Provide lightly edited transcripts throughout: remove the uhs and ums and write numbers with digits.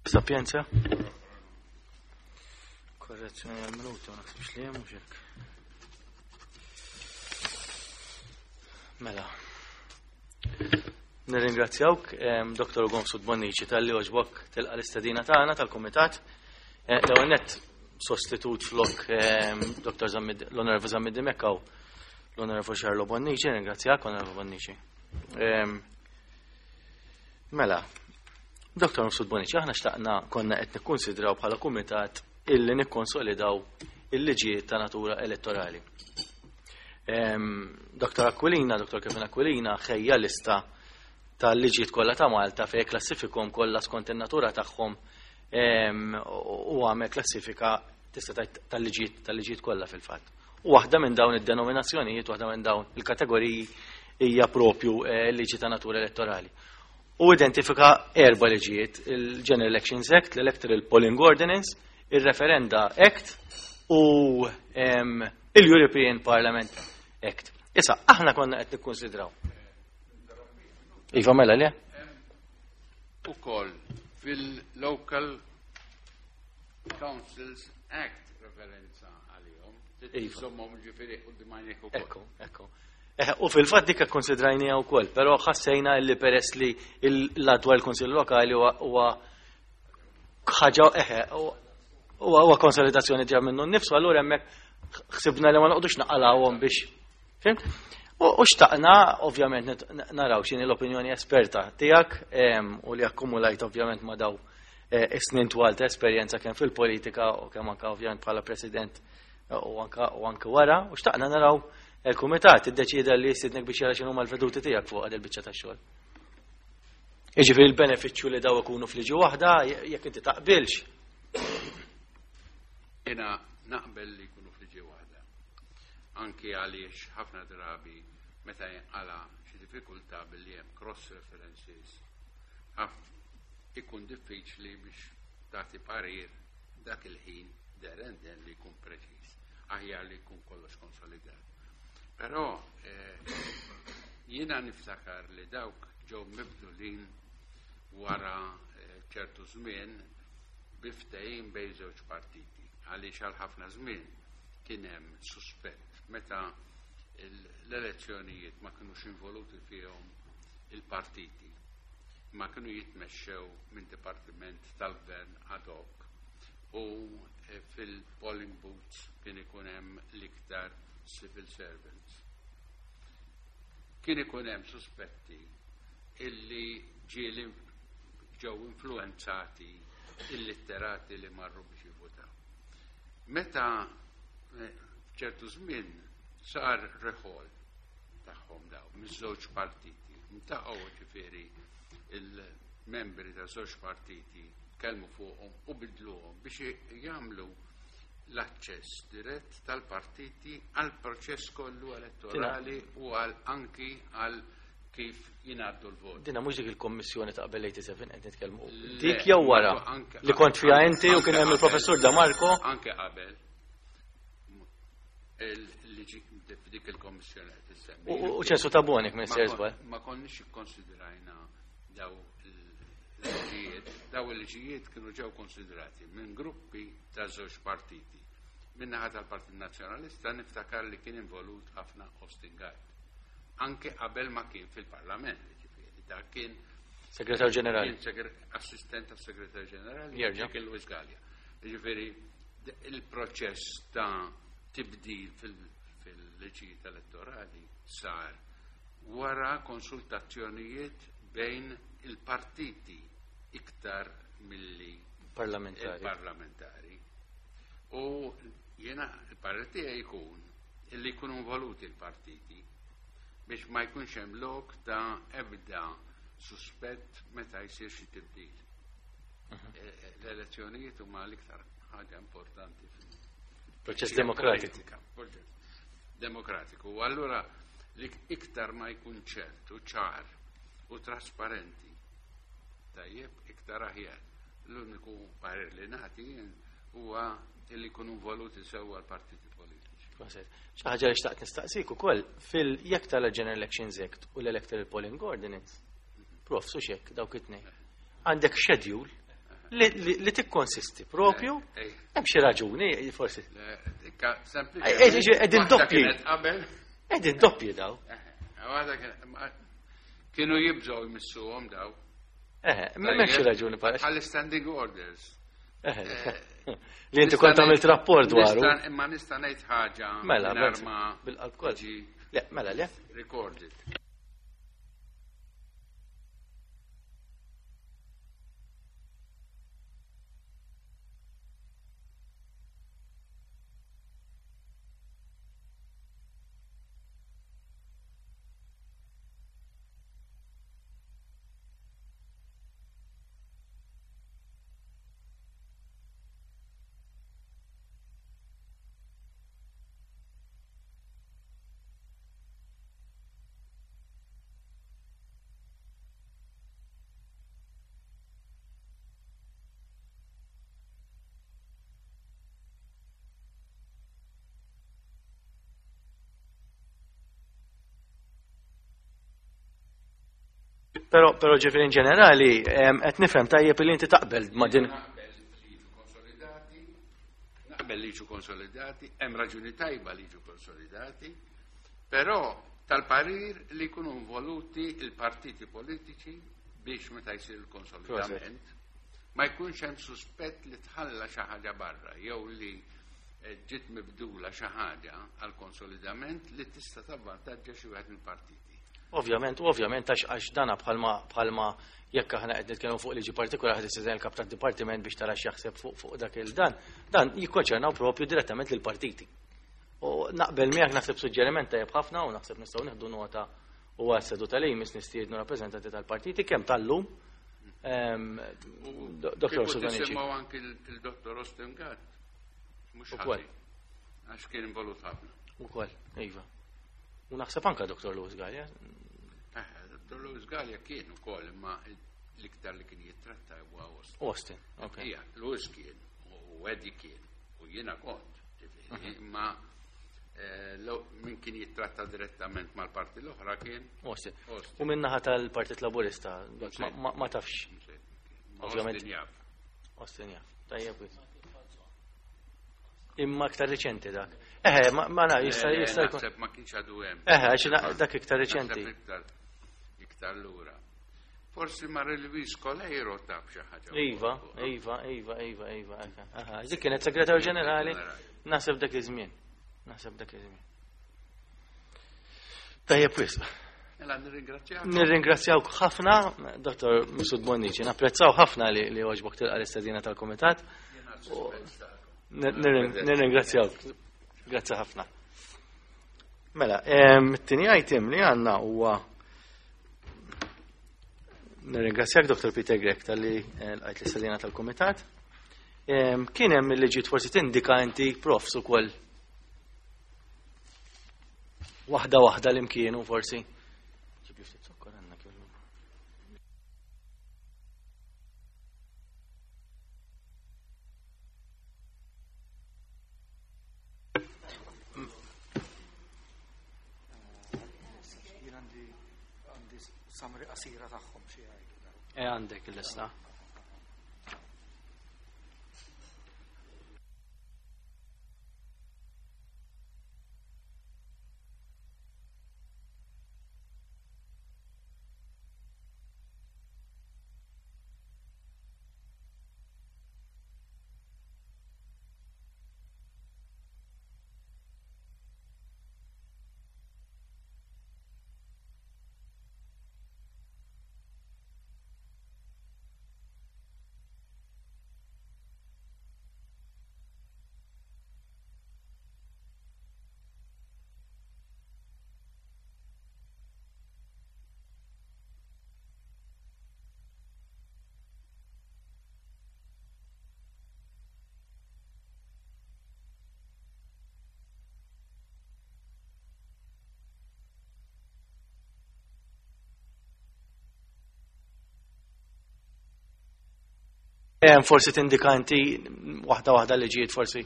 Sapienza? Korrezzjoni għal-minuti, ma naħsibx li hemm mhux hekk. Mela. Nirringrazzjawk, Dr. Gomsud Bonnici, tal-li oġbok tilqa l-istedina tagħna tal-Kumitat. Eh, l-ewwel nett sostitut flok Dr. Zammit l-Onorevoli Zammit Dimekkaw l-Onorevoli Charlo Bonnici, ringrazzjak Onorevoli Bonnici. Mela, Dr. Mifsud Bonici, aħna xtaqna konna qed nikkunsidraw bħala kumitat illi nikkonsolidaw il-liġijiet ta' natura elettorali. Dr. Aquilina, Dr. Kevin Aquilina, ħejja lista tal-liġijiet kollha ta' Malta fejn klassifikom kollha skont in-natura tagħhom u għamel klassifika tista' tgħid tal-liġijiet tal-liġijiet kollha fil-fatt. U waħda minn dawn id-denominazzjonijiet, waħda minn dawn il-kategoriji hija propju eh, liġi ta' natura elettorali. U identifika erba' liġijiet, il-General Elections Act, l-Electoral Polling Ordinance, il-Referenda Act u il-European Parliament Act. Issa, aħna konna qed nikkonsidraw. Iva mela le? Ukoll fil-Local Councils Act referenza għalihom. Iva. Żommhom ġifieri quddiem għajnejk ukoll. Ekku, ekku. Eh, u fil-fatt dik ikkonsidrajnija wkoll, però ħassejna li peress li l-adwar il-Kunsill Lokali huwa ħaġa eħe huwa konsolidazzjoni ġa minnu nnifsu, allura hemmhekk ħsibna li ma noqgħodux naqalawhom biex. Fim? U xtaqna, ovvjament, naraw x'inhi l-opinjoni esperta tiegħek u li akkumulajt ovvjament ma daw eh, is-snin twal ta' esperjenza kemm fil-politika u kemm anke ovvjament bħala president eh, u anke u anke wara, u xtaqna naraw il-kumitat iddeċieda li jistidnek biex jara x'inhuma l-veduti tiegħek fuq il biċċa tax-xogħol. Jiġifieri l-benefiċċju li daw ikunu fliġi waħda jekk inti taqbilx. Jiena naqbel li jkunu fliġi waħda. Anki għaliex ħafna drabi meta jinqala xi diffikultà billi hemm cross references ikun diffiċli biex tagħti parir dak il-ħin there and then li jkun preċiż. Aħjar li jkun kollox konsolidat. Però eh, jiena niftakar li dawk ġew mibdulin wara eh, ċertu żmien bi ftehim bejn żewġ partiti għaliex għal ħafna żmien kien hemm suspett meta l-elezzjonijiet ma kinux involuti fihom il-partiti ma kienu jitmexxew minn dipartiment tal-gvern ad hoc u eh, fil-polling booths kien ikun hemm l-iktar civil servants. Kien ikun hemm suspetti illi ġieli ġew influenzati il-litterati li marru biex jivvutaw. Meta eh, ċertu żmien sar reħol tagħhom daw miż-żewġ partiti. Ntaqgħu ġifieri il-membri ta' żewġ partiti tkellmu fuqhom u bidluhom biex jagħmlu l-aċċess dirett tal-partiti għal proċess kollu elettorali u għal anki għal kif jingħaddu l-vot. Dina mhux dik il-kommissjoni ta' qabel 87 qed nitkellmu. Dik jew wara li kont fiha inti u kien hemm il-professur Damarco. Anke qabel. Dik il-kommissjoni qed issemmi. U ċensu ta' Bonik minn Sersbal. Ma konniex ikkonsidrajna daw il-liġijiet, daw il-liġijiet kienu ġew konsidrati minn gruppi ta' żewġ partiti. Min-naħa tal-Partit Nazzjonalista niftakar li kien involut ħafna Austin Gatt. Anke qabel ma kien fil-Parlament, ġifieri, dak kien Segretar Ġenerali. Assistent tas Segretar Ġenerali. Jerġa' kien Luis Gallia. Ġifieri il-proċess ta' tibdil fil-liġijiet elettorali sar wara konsultazzjonijiet bejn il-partiti iktar milli parlamentari. parlamentari. U jiena il-parir tiegħi jkun illi jkunu involuti l-partiti biex ma jkunx hemm lok ta' ebda suspett meta jsir xi tibdil. Mhm. Eh, eh, l-elezzjonijiet huma l-iktar ħaġa importanti fil-proċess demokratiku. Demokratiku. U allura li iktar ma jkun ċert u ċar u trasparenti tajjeb iktar aħjar. L-uniku parir li nagħti huwa li jkunu involuti sewwa l-partiti politiċi. Xi ħaġa li xtaqt nistaqsik ukoll fil-jekk tal-General Elections Act u l-Electoral Polling Ordinance. Prof, su xek, dawk it-tnejn. Għandek schedule. Li tikkonsisti propju, hemm xi raġuni, forsi. Qegħdin doppji. Qegħdin doppji daw. Kienu jibżgħu jmissuhom daw. Eħe, m'hemmx xi raġuni bħal. Bħal standing orders. Li inti kont għamilt rapport dwaru. Imma nista' ngħid ħaġa. Mela, bil-qalb kollu. Le, mela le. Recorded. Pero, pero ġifiri in ġenerali, qed nifhem tajjeb li inti taqbel ma' din. Naqbel li jiġu konsolidati, hemm raġuni tajba li jiġu konsolidati, però tal-parir li jkunu involuti il-partiti politiċi biex meta jsir il-konsolidament ma jkunx hemm suspett li tħalla xi ħaġa barra jew li eh, ġiet mibdula xi ħaġa għal konsolidament li tista' tavvantaġġa xi wieħed mill-partiti. Ovvjament, u ovvjament għax għax dana bħalma bħalma jekk aħna qed nitkellmu fuq liġi partikolari ħad istieden il-kap tad-dipartiment biex tara x'jaħseb fuq fuq dak il-dan, dan jikkonċernaw propju direttament lill-partiti. U naqbel miegħek naħseb suġġeriment tajjeb ħafna u naħseb nistgħu nieħdu nota u għas-seduta li jmiss nistiednu rappreżentanti tal-partiti kemm tal-lum ehm, Dr. Sudanici. Nisimgħu anki il-Dr. Austin Gatt. Mhux ukoll. Għax kien involut ħafna. Ukoll, iva. U naħseb anka Dr. Louis Gallia. Eh, Dr. Louis Gallia kien ukoll imma l-iktar li kien jittratta huwa Austin. Austin, ok. Ija, Louis kien, u Eddie kien, u jiena kont. Mhm. Imma eh, min kien jittratta direttament mal-parti l-oħra kien Austin. U minnaħa tal-Partit Laburista, ma tafx. Ovvjament. Austin jaf. Austin jaf. Tajjeb. Imma iktar riċenti dak. Eħe, ma na, jista' eh, jista' jkun. Naħseb ma kienx għadu hemm. Eħe, għax dak iktar riċenti. Iktar lura. Forsi Marie Louise Coleiro taf xi ħaġa. Iva, iva, iva, iva, iva. Aha, dik kienet segretarju ġenerali, naħseb dak iż-żmien. Naħseb dak iż-żmien. Tajjeb wisq. Mela nirringrazzjak. Nirringrazzjawk ħafna, Dr. Musud Bonnici, napprezzaw ħafna li li għoġbok tilqa l-istedina tal-Kumitat. Nirringrazzjawk. Grazzi ħafna. Mela, it-tieni item li għandna huwa Nirringrazzjak Dr. Peter Grech tal-li eh, l-għajt l-istedina tal-Kumitat. Kien hemm li ġiet forsi tindika inti profs ukoll Waħda waħda li mkienu forsi. Ġibli ftit zokkor għandna kellu. Jien għandi għandi summary qasira tagħhom xi jgħidu. E għandek il-lista. Forsi tindika inti waħda waħda li ġiet forsi.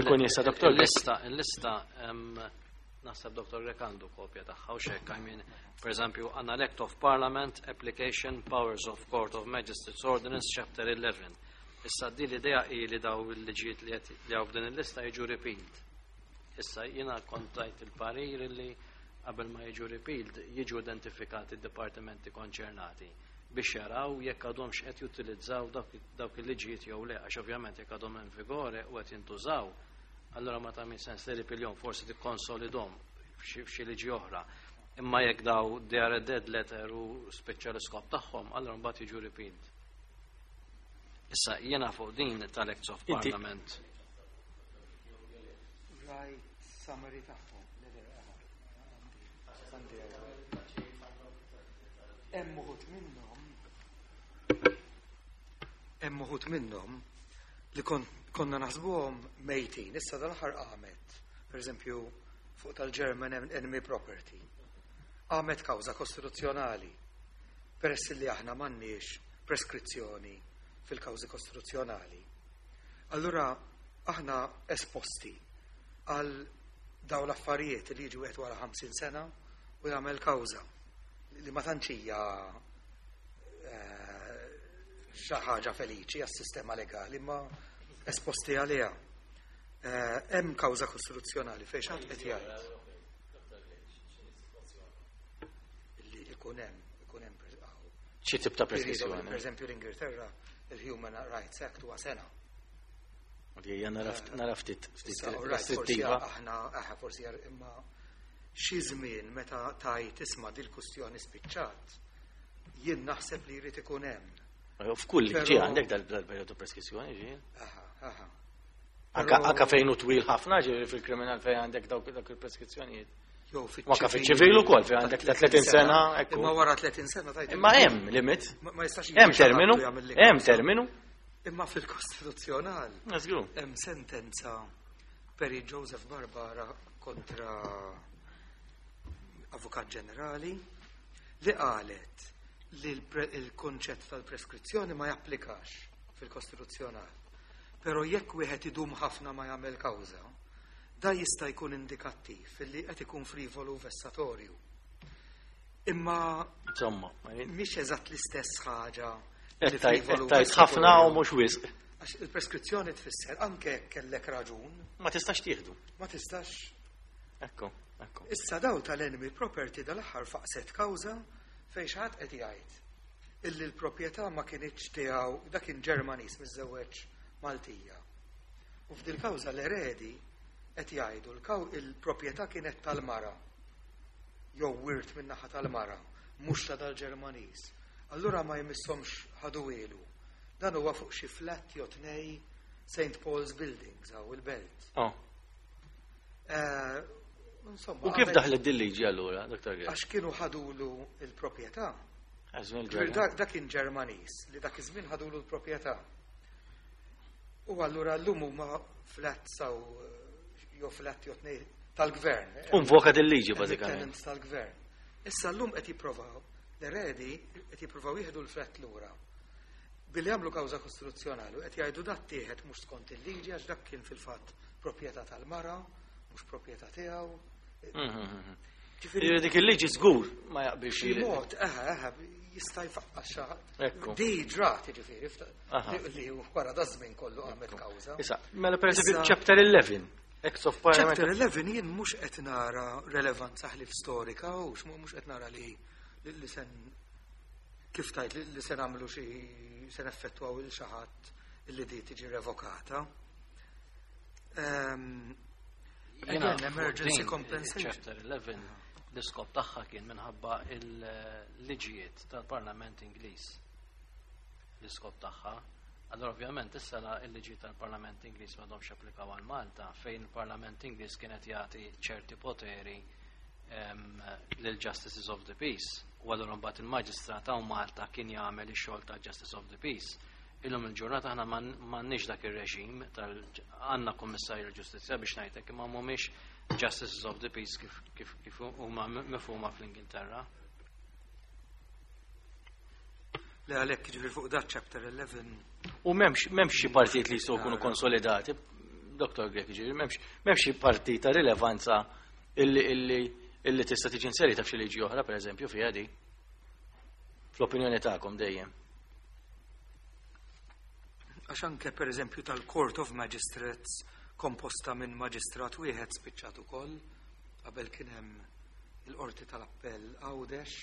Ikun jista' doktor. Il-lista, il-lista, Naħseb Dr. Grech għandu kopja tagħha u xek, I mean, per eżempju, għandna l-Act of Parliament, Application, Powers of Court of Magistrates Ordinance, Chapter 11. Issa di l-idea hi li daw il-liġijiet li qed li hawn f'din il-lista jiġu repealed. Issa jiena kont tajt il-parir li qabel ma jiġu repealed jiġu identifikati d-dipartimenti konċernati biex jaraw jekk għadhomx qed jutilizzaw dawk il-liġijiet jew le, għax ovvjament jekk għadhom in vigore u qed jintużaw, allora ma tagħmel sens li repealhom, forsi tikkonsolidhom f'xi liġi oħra. Imma jekk daw they are a dead letter u spiċċa l-iskop tagħhom, allora mbagħad jiġu repealed. Issa jiena fuq din tal-Acts of Parliament. Right summary tagħhom. Għandi Hemm uħud minnhom li konna naħsbuhom mejtin, issa dal-aħħar qamet, per eżempju, fuq tal-German Enemy Property. Qamet kawża kostituzzjonali. Peress li aħna m'għandniex preskrizzjoni fil-kawżi kostituzzjonali. Allura aħna esposti għal daw l-affarijiet li jiġu wieħed wara 50 sena u jagħmel kawża li ma tantx hija xi ħaġa feliċi għas-sistema legali, ma esposti għaliha. Hemm kawża kostituzzjonali fejn xi ħadd qed jgħid li ikun hemm Xi tip ta' periodu. Preskrizzjoni? Per eżempju, l-Ingilterra, il-Human Rights Act huwa sena. Li hija nara ftit ftit Issa, all right, forsi restrittiva. Aħna forsi imma xi żmien meta tajt isma' dil-kustjoni spiċċat, jien naħseb li jrid ikun hemm. F'kull liġi għandek dal-periodu preskrizzjoni ġi. Aha. Anka fejn hu twil ħafna, ġifieri fil-kriminal fejn għandek dawk il-preskrizzjonijiet. Jew U anka fiċ-ċivil ukoll fejn għandek ta' 30 sena, ekku. Imma wara 30 sena tajt. Imma hemm limit. Ma jistax Hemm jiġi xi ħadd terminu, u jagħmel li hemm kawża. terminu. Imma fil-Kostituzzjonal Żgur. hemm sentenza Perit Joseph Barbara kontra Avukat Ġenerali li qalet li il-konċett tal-preskrizzjoni ma japplikax fil-Kostituzzjonal. Però jekk wieħed idum ħafna ma jagħmel kawża, da jista' jkun indikattiv li qed ikun frivolu vessatorju. Imma Insomma, mhix eżatt l-istess ħaġa li qed tgħid frivolu qed tgħid ħafna u vessatorju. mhux wisq. Għax il-preskrizzjoni tfisser anke jekk kellek raġun, Ma tistax tieħdu. Ma tistax. Ekku. Issa daw tal-enemy property dal-aħħar faqset kawża fejn xi ħadd qed jgħid illi l-proprjetà ma kinitx tiegħu, dak kien Ġermaniż miżżewweġ Maltija. U f'dil kawża l-eredi qed jgħidu il-proprjetà kienet tal-mara jew wirt min-naħa tal-mara, mhux ta' dal-Ġermaniż. Allura ma jmissomx ħaduhielu. Dan huwa fuq xi flat jew tnej St. Paul's Buildings hawn il-Belt. Oh. Insomma, U kif daħlet din liġi allura, Dr. Grech? Għax kienu ħadulu il-proprjetà. Għażmin Ġifieri il-ġerma. Dak kien Ġermaniż li dak iż-żmien ħadulu l-proprjetà. U allura llum huma flats aw jew flat jew tnej tal-gvern. U invoka dil-liġi Hemm bażikament. tenants tal-gvern. Issa llum qed jipprovaw, l-eredi qed jippruvaw jieħdu l-flat lura. Billi jagħmlu kawża kostituzzjonali u qed jgħidu dat tieħed mhux skont il-liġi għax dak kien fil-fatt proprjetà tal-mara, mhux proprjetà tiegħu. Ġifieri Ġifieri dik il-liġi żgur ma jaqbilx. Xi mod, eħe, jista' jfaqqa xi ħadd. Ekku. Di ġrat, ġifieri, li wara da żmien kollu qamet kawża. Issa, mela per eżempju Issa- Chapter 11, Acts of Parliament. Chapter 11 jien mhux qed nara relevanza ħlif storika u mhux qed nara li sen kif tajt li se nagħmlu xi se neffettwaw il xi ħadd illi di tiġi revokata. Jiena Again, emergency din, compensation. Chapter 11, l-iskop tagħha kien minħabba il-liġijiet tal-Parlament Ingliż. L-iskop tagħha. Allora ovvjament issa la il-liġijiet tal-Parlament Ingliż m'għadhomx applikaw għal Malta, fejn il-Parlament Ingliż kienet jagħti ċerti poteri lil Justices of the Peace. U allura mbagħad il-Maġistrat hawn Malta kien jagħmel ix-xogħol ta' Justice of the Peace. Illum il-ġurnata aħna m'għandniex dak ir-reġim tal għandna Kummissarju l-Ġustizzja biex ngħidlek, imma mhumiex Justices of the Peace kif huma mifhuma fl-Ingilterra. Li għalhekk ġifieri fuq dat chapter 11. U m'hemmx xi partijiet li jistgħu jkunu konsolidati, Dr. Grech, ġifieri m'hemmx xi partit ta' rilevanza. illi tista' tiġi inserita f'xi liġi oħra, pereżempju, fiha di. Fl-opinjoni tagħkom dejjem. Għax anke pereżempju tal-Court of Magistrates komposta minn maġistrat wieħed spiċċat ukoll, qabel kien hemm il-Qorti tal-Appell Għawdex,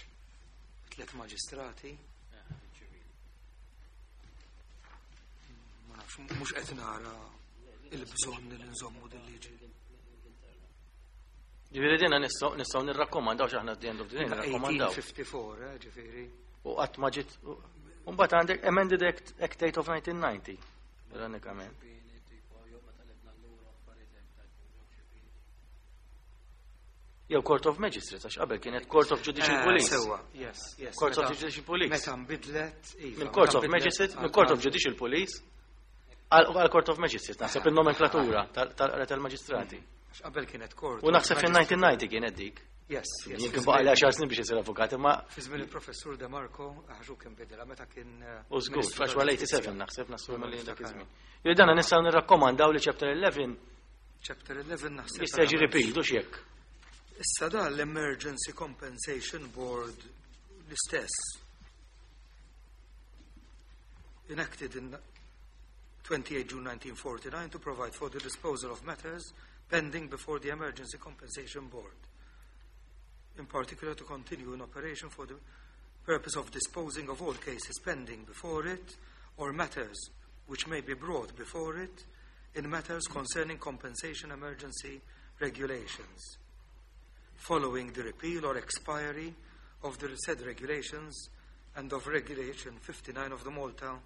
tliet maġistrati. Ma nafx, mhux qed nara il-bżonn li nżommu din liġi. Ġifieri dina nistgħu nirrakkomandaw x'aħna at the end of the day nirrakkomandaw. 1854, ġifieri. U qatt ma ġiet. U mbagħad għandek Amended Act 8 of 1990. Ironikament. Jew Court of Magistrates, għax qabel kienet Court of Judicial Police. Sewa, yes. Court of Judicial Police. Meta nbidlet, iva, Minn Court meta of nbidlet Magistrates, minn Court of Judicial Police għal Court of Magistrates, naħseb il-nomenklatura tal-maġistrati. Għax qabel kienet Court. U naħseb fil-1990 kienet dik. Yes. Jien kien baqa' li 10 snin biex isir avukat, imma Fi żmien il-professur De Marco, għaxu kien bidela meta kien. U żgur, Ministru għax wara tal-Ġustizzja. 87 naħseb nassumi li dak Niftakar. iż-żmien. Jew dana nistgħu nirrakkomandaw li chapter 11 Chapter 11 naħseb. jista' jiġi repealed u x'jekk. Issa da l-Emergency Compensation Board l-istess. Enacted in 28 June 1949 to provide for the disposal of matters pending before the Emergency Compensation Board. In particular, to continue in operation for the purpose of disposing of all cases pending before it or matters which may be brought before it in matters concerning compensation emergency regulations following the repeal or expiry of the said regulations and of Regulation 59 of the Malta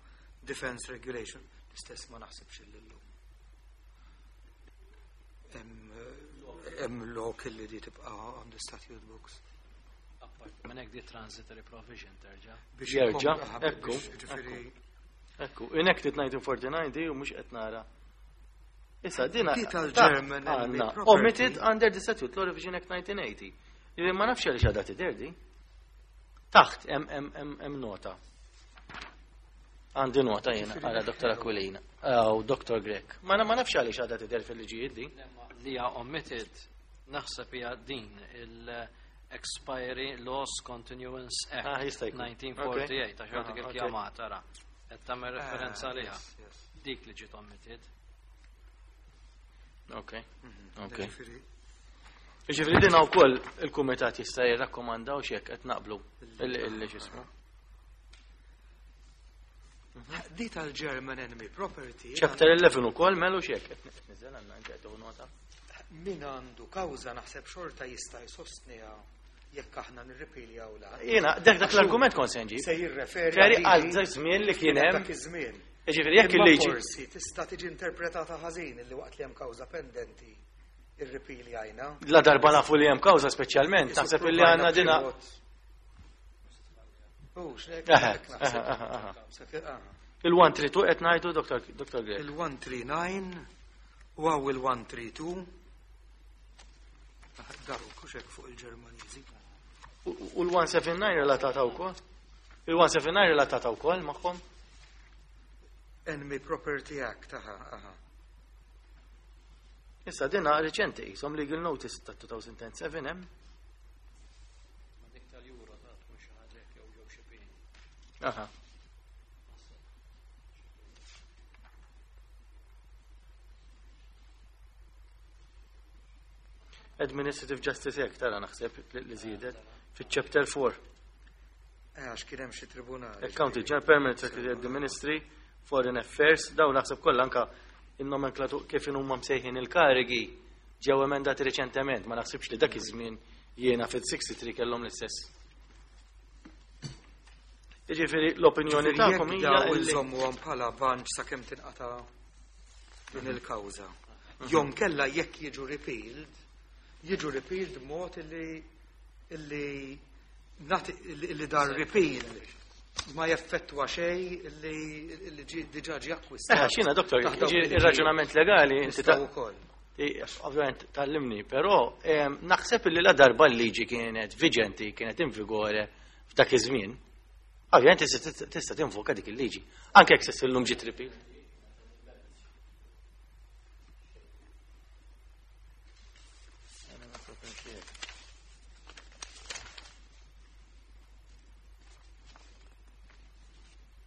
Defence Regulation. L-istess ma naħsibx illum. Hemm lok illi di tibqa' on the statute books. Minn hekk di transitory provision terġa'. Biex Jerġa', ekku, biex, ġifieri, Ekku, enacted 1949 di u mhux qed nara. Issa dina Di tal-German enemy għandna property. omitted under the Statute Law Revision Act 1980. Ġifieri ma nafx għaliex għadha tidher di. Taħt hemm nota. Għandi nota jiena għala Dr. Aquilina u Dr. Grech. Ma nafx għaliex għadha tidher fil-liġijiet di. Li hija omitted naħseb hija din il-Expiry Laws Continuance Act Ah, jista' jkun. 1948 għax dik Ah, ok. il-kjamat ara. Qed tagħmel referenza għaliha. yes. Dik li ġiet omitted. Ok. Ok. Ġifieri, Ġifieri din wkoll il-kumitat jista' jirrakkomandaw x'hekk qed naqblu illi x'ismu. Di tal-German Enemy Property. Chapter 11 ukoll melu x'hekk qed niżel għandna inti qed tieħu nota. Min għandu kawża naħseb xorta jista' jsostniha jekk aħna nirripiljaw la. Jiena dak l-argument kont se nġib. Se jirreferi Feri għal għal dak żmien li kien hemm. Dak iż-żmien. Ġifieri jekk Imma il-liġi. Forsi tista' tiġi interpretata ħażin illi waqt li hemm kawża pendenti irripiljajna. La darba nafu li hemm kawża speċjalment, naħseb illi għandna dina. Hux, lek, Aha, hekk naħseb. aha, aha. Aha. Il-132 qed ngħidu Dr. Grech. Il-139 u għaw il-132. Daru, kuxek fuq il-Ġermaniżi. U l-179 relatata wkoll? Il-179 relatata wkoll magħhom? Enemy Property Act, aha, aha. Issa dina reċenti, qishom legal notice ta' 2007 hemm. Ma dik tal-Euro ta' tkun xi ħaġa hekk jew ġew xi pieni. Aha. Administrative Justice Act tara naħseb li żiedet fiċ-chapter 4. Għax kien hemm xi tribunali. Accountant General, Permanent Secretary of the Ministry, Foreign Affairs, daw naħseb kollha anka in-nomenklatur kif huma msejħin il-karigi ġew emendati reċentement, ma naħsibx li dak iż-żmien jiena fil-63 kellhom l-istess. Jiġifieri l-opinjoni tagħkom hija Daw illi inżommuhom bħala banċ sakemm tinqata' din il-kawża. Jom kella jekk jiġu repealed, jiġu repealed mod illi illi dar repeal ma jeffettwa xej illi diġà ġie akkwistat. Xina, doktor, Taħt dawk jiġi ir-raġunament legali, inti ta' Nistgħu wkoll. Ovvjament tallimni, però naħseb li la darba l-liġi kienet viġenti, kienet in vigore f'dak iż-żmien, ovvjament tista' tinvoka dik il-liġi. Anke jekk se llum ġiet repeal.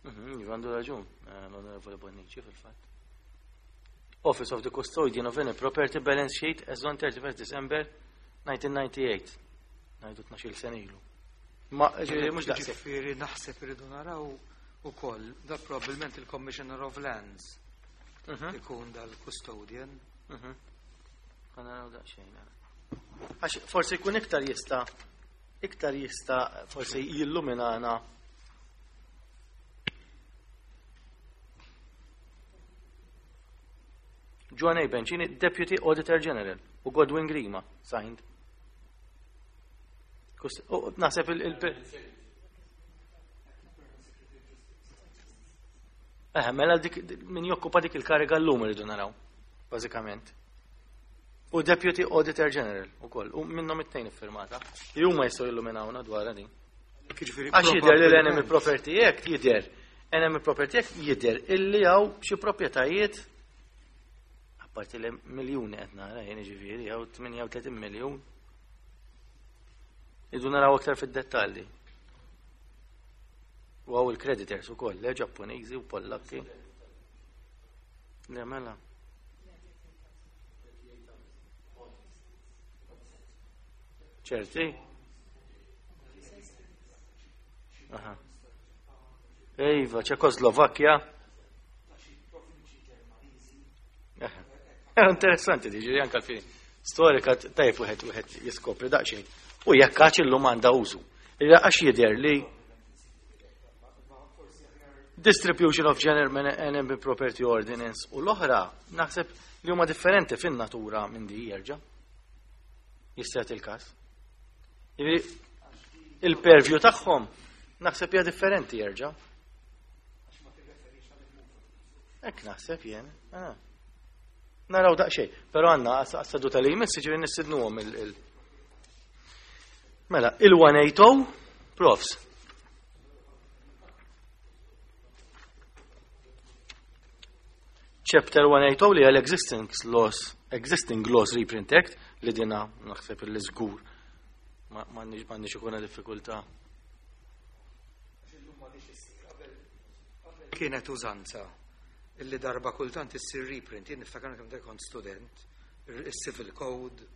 Iva, għandu raġun, l-Onorevoli Bonnici fil-fatt. Office of the Custodian of any Property Balance Sheet as on 31st December 1998. Ngħidu 12 sena ilu. Ma ġifieri mhux daqshekk. Ġifieri naħseb irridu naraw ukoll da probabbilment il-Commissioner of Lands ikun dal-custodian. Ħa naraw daqsxejn. Għax forsi jkun iktar jista' forsi jilluminana. Joan A. Bencini, Deputy Auditor General, u Godwin Grima, signed. U naħseb mela dik min jokkupa dik il-kariga l-lum irridu naraw, bażikament. U Deputy Auditor General ukoll, u minnhom it-tnejn iffirmata. Li huma jistgħu jilluminawna dwar din. Jiġifieri Għax jidher li l-Enemy probabbilment- Property Act jidher, Enemy Property Act jidher illi hawn xi proprjetajiet, apparti li miljuni qed nara jien, ġifieri hawn 38 miljun. Idu naraw aktar fid-dettalji. U hawn il-creditors ukoll, le Ġappuniżi u Pollakki. Le mela. Ċerti? Aha. Iva, Ċekoslovakkja. Aha. Interessanti diġi, anka l-fini. Storika tajf wieħed jiskopri daqsxejn. U jekk għax illum għandha użu. Illa għax jidher li Distribution of General Enemy Property Ordinance u l-oħra naħseb li huma differenti fin-natura minn di jerġa'. Jista' il-każ. Jiġifieri, il-purview tagħhom naħseb hija differenti jerġa'. Hekk naħseb jien. Ah. Naraw daqsxejn, però għandna għas-seduta li jmiss ġifieri nistidnuhom Mela, il-180, profs. Chapter 180 li għal Existing Laws Reprint Act li dina naħseb li żgur m'għandniex ikuna diffikultà. Kienet użanza illi darba kultant issir reprint. Jien niftakar kemm kont student, il-Civil Code,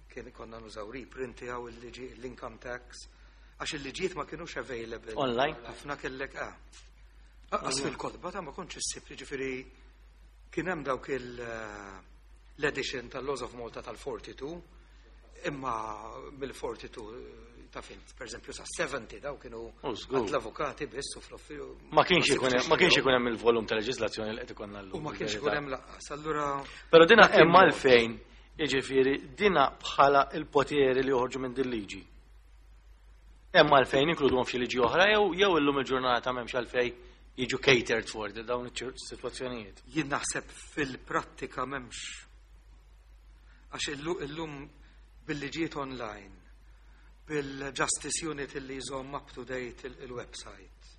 kien konna nużaw reprint tiegħu, il-liġi l-income tax, għax il-liġijiet ma kienux available. Online? Ħafna kellek ah. Għas fil-kotba ta' ma kontx issib, ġifieri kien hemm dawk l-edition tal-Laws of Malta tal-42, imma mill-42 ta' fint, per eżempju, sa' 70 daw kienu Oh, żgur. għand l-avukati biss u fl-uffiċċju. Ma kienx ikun hemm il-volum ta' leġislazzjoni li qed ikollna llum. U ma kienx ikun hemm lanqas. Allura Però dina dak hemm il-mod. għalfejn, jiġifieri dina bħala il-poteri li joħorġu minn din liġi. Hemm għalfejn inkluduhom f'xi liġi oħra jew illum il-ġurnata m'hemmx għalfejn jiġu catered for dawn iċ-sitwazzjonijiet. Jien naħseb fil-prattika m'hemmx. Għax illum bil-liġijiet online, bil-Justice Unit illi jżomm up to date il-website.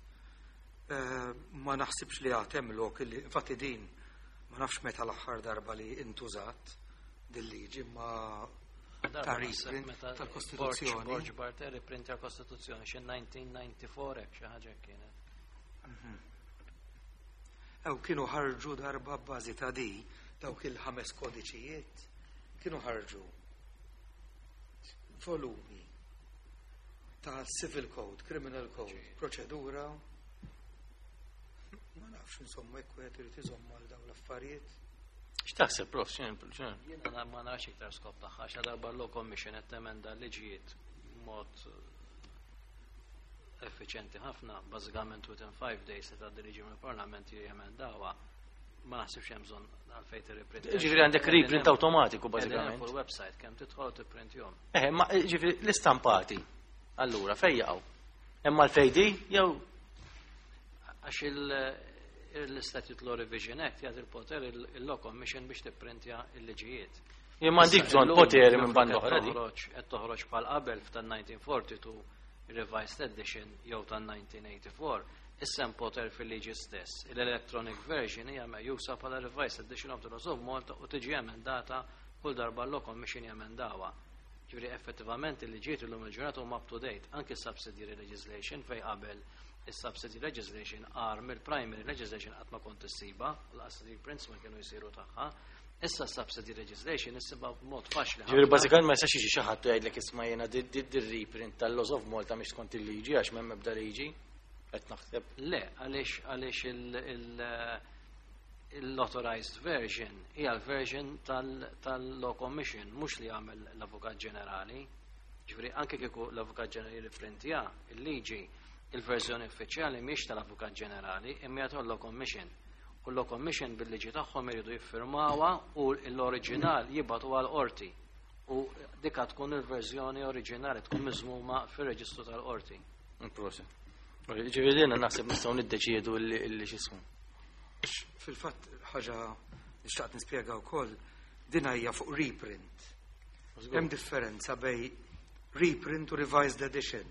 Ma naħsibx li għad hemm lok illi, infatti din, ma nafx meta l-aħħar darba li intużat dil-liġi, ma ta' reprint tal-Kostituzzjoni. Borg Barthe riprinta l-Kostituzzjoni xi 1994 hekk xi ħaġa kienet. Ew kienu ħarġu darba b'bażi ta' di, dawk il-ħames kodiċijiet, kienu ħarġu volumi ta' Civil Code, Criminal Code, proċedura. Ma nafx, insomma, jekk wieħed irid iżomm għal dawn l-affarijiet. X'taħseb, prof? X'in? Jiena ma narax iktar skop tagħha għax darba l-Law Commission qed temenda liġijiet mod effiċjenti ħafna, bażikament within 5 days se tgħaddi liġi mill-Parlament jemendawha. Ma naħsibx hemm bżonn għalfejn tirriprint. Ġifieri għandek reprint awtomatiku bażikament. Fuq il-website kemm tidħol tipprintjhom. Ma ġifieri l-istampati. Allura fejn jaqgħu? Hemm għalfejn di jew Għax il-Statute Law Revision Act jagħti il-poter il-Law Commission biex tipprintja il-liġijiet. Jien m'għandix bżonn Illum, poteri minn banda qed oħra di. Qed toħroġ bħal qabel f'tan-1942 revised edition jew tan-1984, issa hemm poter fil-liġi stess. Il-electronic version hija meqjusa bħala revised edition of the Laws of Malta u tiġi emendata kull darba l-Law Commission jemendawha. Ġifieri effettivament il-liġijiet illum il-ġurnata huma up to date, anke subsidiary legislation fejn qabel Is-subsidy legislation agħar mill-primary legislation qatt ma kont issibha, lanqas reprints ma kienu jsiru tagħha. Issa subsidy legislation issibha b'mod faċli. Ġifieri bażikament ma jistax jiġi xi ħadd jgħidlek isma' jiena dir-reprint tal-Laws of Malta mhix skont il-liġi għax m'hemm ebda liġi. Qed naħseb. Le, għaliex għaliex l-authorized version hija l-version tal-Law Commission, mhux li jagħmel l-Avukat Ġenerali. Ġifieri anke kieku l-Avukat Ġenerali riprintja il-liġi, il-verżjoni uffiċjali mhix tal-Avukat Ġenerali, imma hija tal-Law Commission. U l-Law Commission bil-liġi tagħhom iridu jiffirmawha u l-oriġinal jibgħatu għal qorti. U dika tkun il-verżjoni oriġinali tkun miżmuma fir-reġistru tal-qorti. Prosit. Ġifieri jiena naħseb nistgħu niddeċiedu illi x'ismu. Fil-fatt ħaġa li xtaqt nispjega wkoll din hija fuq reprint. Hemm differenza bejn reprint u revised edition.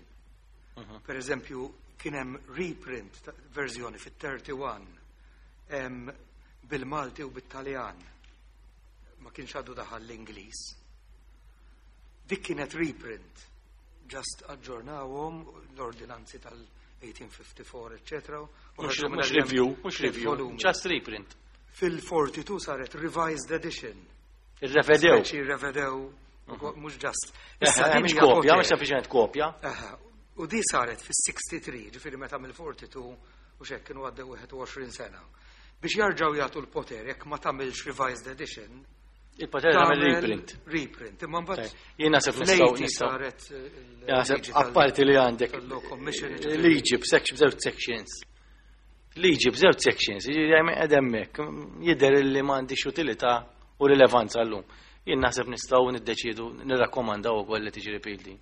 Per eżempju, kien hemm reprint verżjoni fit-31 bil-Malti u bit-Taljan. Ma kienx għadu daħal l-Ingliż. Dik kienet reprint. Just aġġornawhom l-ordinanzi tal-1854, etc. Mhux review, mhux review, just reprint. Fil-42 saret revised edition. Irrevedew. Speċi irrevedew, mhux just. Issa mhux kopja, mhux sempliċement kopja. U di saret fis-63, ġifieri meta mill-42 u xek kienu għaddew 21 sena. Biex jarġaw jagħtu l-poter jekk ma tagħmilx revised edition. Il-poter tagħmel reprint. Reprint. Imma mbagħad jien naħseb nistgħu nistgħu saret naħseb apparti li għandek liġi b'section b'żewġ sections. Liġi b'żewġ sections, jiġifieri qed hemmhekk jidher li m'għandix utilità u rilevanza llum. Jien naħseb nistgħu niddeċiedu nirrakkomandaw ukoll li tiġi repealed.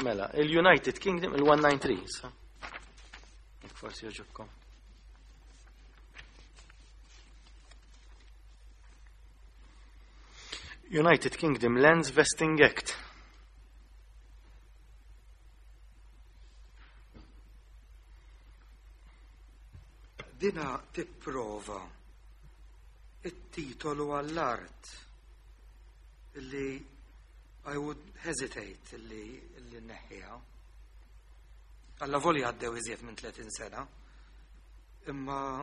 Mela, il-United Kingdom, il-193, sa? Forsi joġobkom. United Kingdom Lands Vesting Act. Dina tipprova it-titolu għall-art illi I would hesitate illi neħħiha. Alla voli għaddew iżjed minn 30 sena. Imma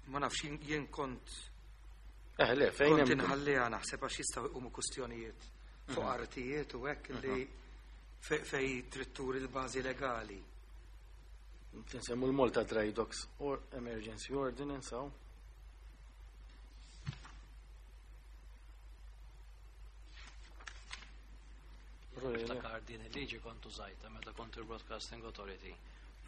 ma nafx jien kont le, fejn kont inħalliha naħseb għax jistgħu jqumu kustjonijiet fuq artijiet u hekk illi fej trid turi l-bażi legali. Nsemmu l-Malta Dry Docks or Emergency Ordinance, hawn. Niftakar din il-liġi kont użajta meta kont il-Broadcasting Authority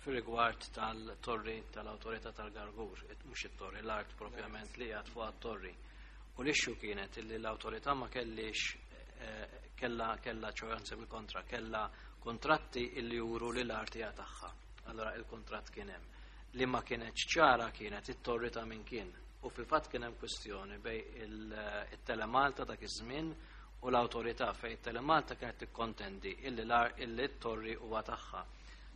fir-rigward tal-torri tal-Awtorità tal-Gargur, mhux it-torri, l-art propjament li għad fuq it-torri. U l-issue kienet illi l-awtorità ma kellix kella ċojanzi bil-kontra, kella kontratti illi juru li l-art hija tagħha. Allora il-kontratt kien hemm. Li ma kienet ċara kienet it-torri ta' min kien. U fil-fatt kien hemm kwestjoni bej il-Telemalta dak iż-żmien u l-awtorità fejn it-Telemalta kienet tikkontendi illi illi t-torri huwa tagħha.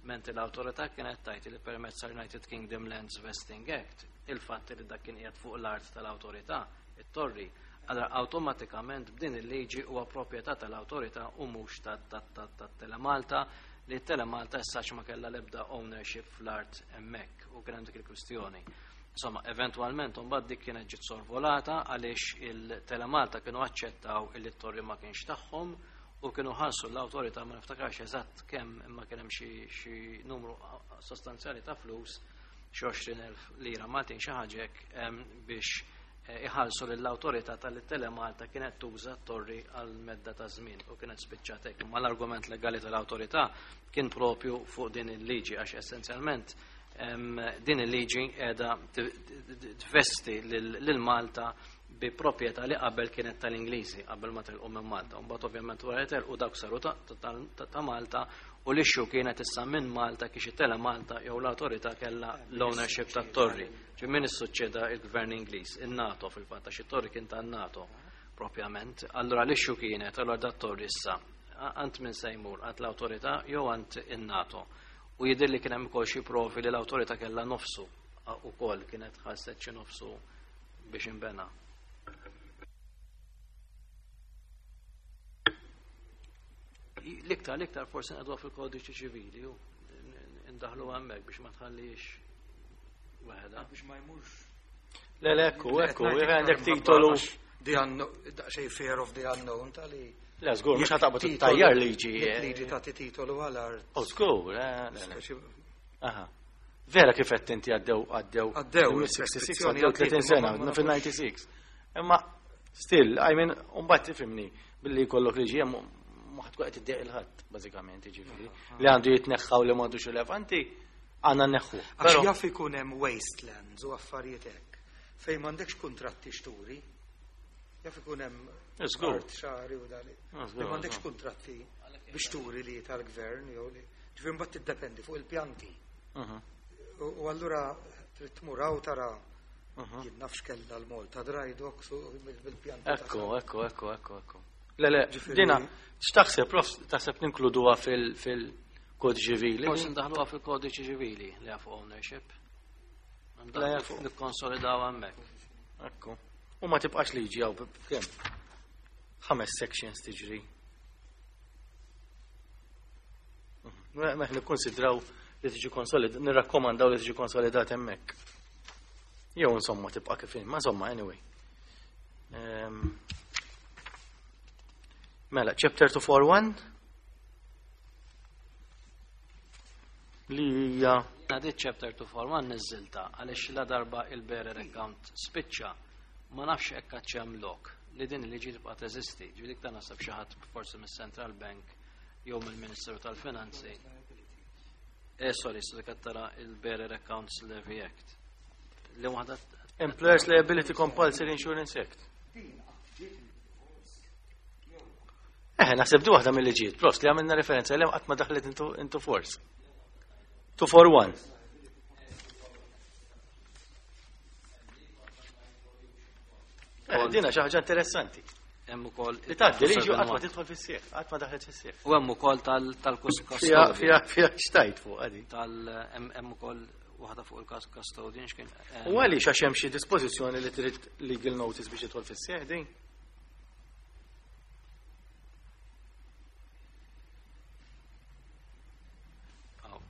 Mentri l-awtorità kienet tajt li permezz tal-United Kingdom Lands Vesting Act, il-fatt li dak kien qiegħed fuq l-art tal-awtorità, it-torri, allora awtomatikament b'din il-liġi huwa proprjetà tal-awtorità u mhux tat-Telemalta, li Telemalta issa ma kellha l-ebda ownership fl-art hemmhekk u kien hemm dik il-kwistjoni. Insomma, eventualment mbagħad dik kienet ġiet sorvolata għaliex il-Telemalta kienu aċċettaw illi t-torri ma kienx tagħhom u kienu ħallsu l-awtorità, ma niftakarx eżatt kemm, imma kien hemm xi numru sostanzjali ta' flus, xi 20,000 lira Maltin xi ħaġa hekk, biex iħallsu lill-awtorità tal-Telemalta kienet tuża t-torri għal medda ta' żmien u kienet spiċċat hekk. Imma l-argument legali tal-awtorità kien propju fuq din il-liġi għax essenzjalment din il-liġi qiegħda tvesti lil Malta bi proprjetà li qabel kienet tal-Ingliżi, qabel ma telqu minn Malta. Mbagħad ovvjament wara telqu dawk saru ta' Malta u l-issue kienet issa minn Malta kiex it-Telemalta jew l-awtorità kellha l-ownership tat-torri. Ġi min issuċċeda il-Gvern Ingliż, in-NATO fil-fatt, għax it-torri kien tan-NATO propjament. Allura l-issue kienet, allura dat-torri issa għand min se jmur, għand l-awtorità jew għand in-NATO. U jidher li kien hemm ukoll xi provi li l-awtorità kellha nofsu ukoll kienet ħasset xi nofsu biex inbena. L-iktar, l-iktar forsi nqegħduha fil-kodiċi ċivili u ndaħlu hemmhekk biex ma tħallix waħedha. Biex ma jmurx. Le, le, ekku, ekku, għandek titolu. The unknown, daqsxejn fear of the unknown tali. Le, żgur, mhux ħataqbad tajjar liġi. Jekk liġi tagħti titolu għal art. Oh, żgur, le, le. Aha. Vera kif qed inti għaddew għaddew. Għaddew, 66 għaddew 30 sena, fil-96. Imma still, I mean, mbagħad tifhimni billi jkollok liġi hemm ma ħadd qed iddieq il-ħadd bażikament, jiġifieri. Li għandu jitneħħa u li m'għandux rilevanti, għandna nneħħu. Għax jaf ikun hemm wastelands u affarijiet hekk fejn m'għandekx kuntratti xturi. Jaf ikun hemm art xagħri u dali. Li m'għandekx kuntratti biex turi li tal-gvern jew li. Ġifieri mbagħad tiddependi fuq il-pjanti. U allura trid tmur hawn tara jien nafx kellha l-Malta dry docks u bil-pjanti. Ekku, ekku, ekku, ekku, ekku. Le, le, dina, x'taħseb, prof, taħseb ninkluduha fil-kodiċi ċivili? Forsi ndaħluha fil-kodiċi ċivili li fuq ownership. Nikkonsolidaw hemmhekk. Ekku. U ma tibqax liġi hawn kemm? 5 sections tiġri. Meħ nikkonsidraw li tiġi konsolid, nirrakkomandaw li tiġi konsolidat hemmhekk. Jew insomma tibqa' kif ma insomma anyway. Mela, chapter 241 li hija Di chapter 241 niżilta għaliex la darba il-bearer account spiċċa ma nafx hekk għad hemm lok li din il-liġi tibqa' teżisti. Ġifieri ta' naħseb xi ħadd forsi mis-Central Bank jew mill-Ministeru tal-Finanzi. Sorry, so dik tara il-Bearer Accounts Levy Act. Li waħda Employers Liability Compulsory Insurance Act. Naħseb di waħda mill-liġijiet, prost li għamilna referenza li qatt ma daħlet into force. 241. Dina xi ħaġa interessanti. Hemm ukoll li tgħaddi liġi qatt ma tidħol fis-sieħ, qatt ma daħlet fis-sieħ. U hemm ukoll tal-custodian. Fija xtajt fuq għadi. Hemm ukoll waħda fuq il-custodian x'kien. U għaliex għax hemm xi dispożizzjoni li trid legal notice biex tidħol fis-sieħ din?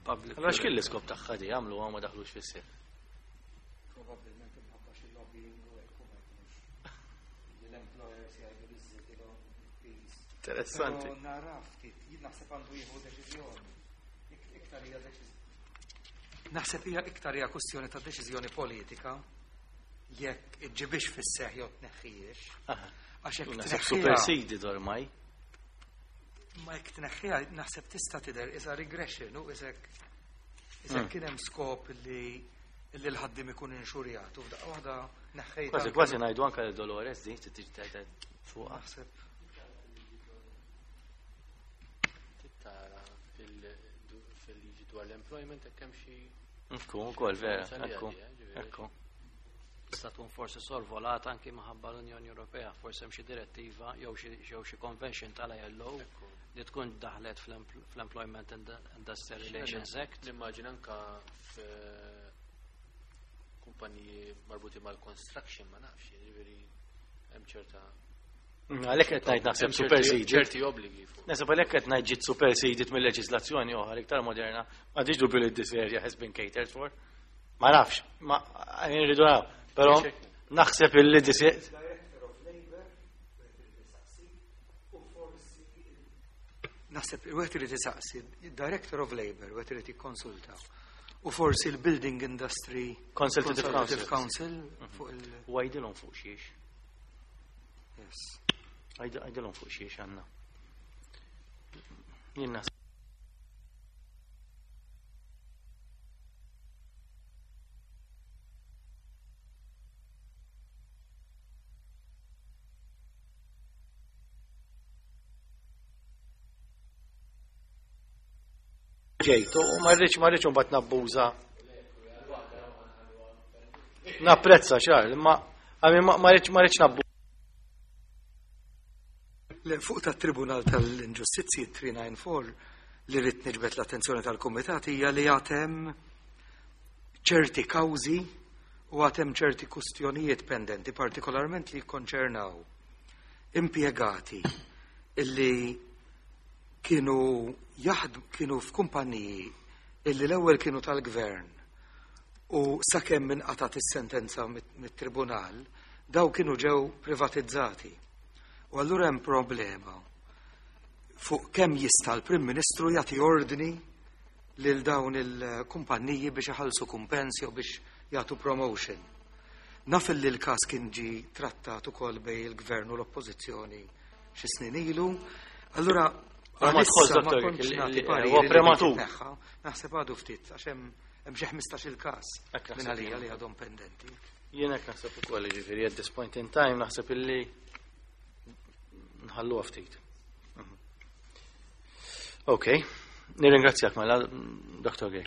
Public. Allora x'kien l-iskop tagħha di għamlu ma daħlux fis-sieħ? Probabbilment imħabba xi lobbying u hekk u ma jkunux li l-employers jgħidu li żżidilhom il-piż. Interessanti. Però nara ftit, jien naħseb għandu jieħu deċiżjoni. Iktar hija deċiżjoni. Naħseb hija iktar hija kwestjoni ta' deċiżjoni politika jekk iġġibix fis-seħħ jew tneħħijiex. Għax jekk Naħseb tneħħiha supersidi ormai. Ma jekk tneħħiha naħseb tista' tidher isa regression u isek isek kien hemm skop li l-ħaddim ikun inxurjat u f'daqqa waħda neħħejt. Kważi kważi ngħidu anke lil Dolores din trid tiġi tgħid fuqha. Naħseb. Tara fil-liġi dwar l-employment hekk hemm xi Ekku, ukoll vera, ekku. Ġifieri. Ekku. Tista' tkun forsi sorvolata anki minħabba l-Unjoni Ewropea, forsi hemm xi direttiva jew xi convention tal-ILO li tkun daħlet fl-Employment and Industrial Relations Act. Nimmaġina anka f'kumpaniji marbuti mal-construction, ma nafx, jiġifieri hemm ċerta Għalhekk qed ngħid naħseb hemm superseded. ċerti obbligi fuq. Naħseb għalhekk qed ngħid ġiet superseded mill-leġiżlazzjoni oħra iktar moderna. M'għandix dubju li this area has been catered for. Ma nafx, ma nridu naraw. Però naħseb illi this Director of Labor, naħseb wieħed irid isaqsi, Director of Labor, wieħed irid jikkonsulta. U forsi l-Building Industry Consultative Consultative Council. Council fuq il- U għajdilhom fuq xiex. Yes. Għajdilhom fuq xiex għandna. Jien naħseb. Ġejtu, u ma rridx, ma rridx imbagħad nabbuża. Napprezza xar, imma għami ma rridx, ma rridx nabbuża. Le, fuq tat-Tribunal tal-Inġustizzji 394 li rrid niġbed l-attenzjoni tal-Kumitat hija li għad hemm ċerti kawżi u għad hemm ċerti kustjonijiet pendenti, partikolarment li jikkonċernaw impjegati illi Kienu jaħdmu kienu f'kumpaniji illi l-ewwel kienu tal-gvern u sakemm inqatgħet is-sentenza mit-tribunal daw kienu ġew privatizzati. U allura hemm problema fuq kemm jista' l-Prim Ministru jagħti ordni lil dawn il-kumpanniji biex iħallsu kumpens jew biex jagħtu promotion. Naf li l-każ kien ġi trattat ukoll bejn il-gvern u l-oppożizzjoni xi snin ilu. Allura Ma għalissa tħoss, ma dottor, kontx nagħti huwa pariri li prematur. titneħħa. Naħseb għadu ftit għax hemm hemm xi 15 il-każ Hekk naħseb minn għalija jien. li għadhom pendenti. Jien hekk naħseb ukoll jiġifieri at this point in time naħseb illi nħalluha ftit. Ok, nirringrazzjak mela Dr. Gay.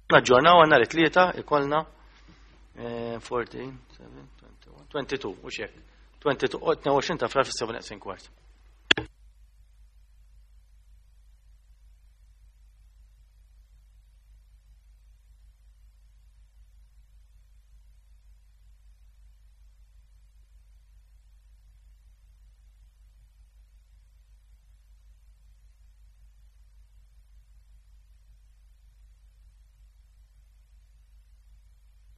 Naġġornaw għandna it-tlieta ikollna 14, 7, 21, 22, u xek. 22, 22 ta' frar fis-7 kwart.